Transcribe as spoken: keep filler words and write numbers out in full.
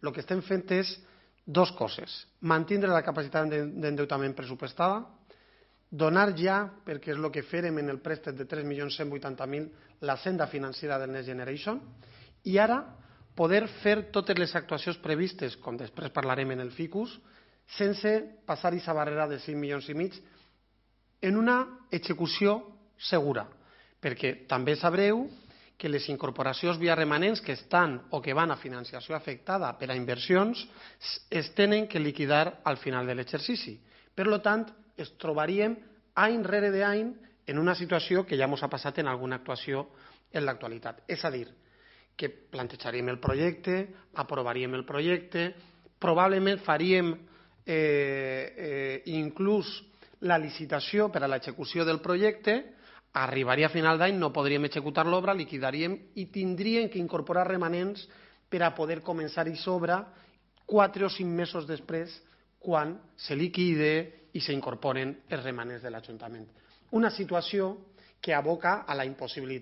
el que estem fent és dues coses. Mantindre la capacitat d'endeutament pressupostada, donar ja, perquè és el que fèrem en el préstec de tres milions cent vuitanta mil, la senda financera del Next Generation, i ara poder fer totes les actuacions previstes, com després parlarem en el ficus, sense passar aquesta barrera de cinc milions i mig en una execució segura, perquè també sabreu que les incorporacions via remanents que estan o que van a financiació afectada per a inversions es tenen que liquidar al final de l'exercici. Per tant, es trobaríem any rere d'any en una situació que ja ens ha passat en alguna actuació en l'actualitat. És a dir, que plantejaríem el projecte, aprovaríem el projecte, probablement faríem eh, eh, inclús la licitació per a l'execució del projecte, arribaria a final d'any, no podríem executar l'obra, liquidaríem i tindríem que incorporar remanents per a poder començar i sobre quatre o cinc mesos després quan se liquide i s'incorporen els remanents de l'Ajuntament. Una situació que aboca a la impossibilitat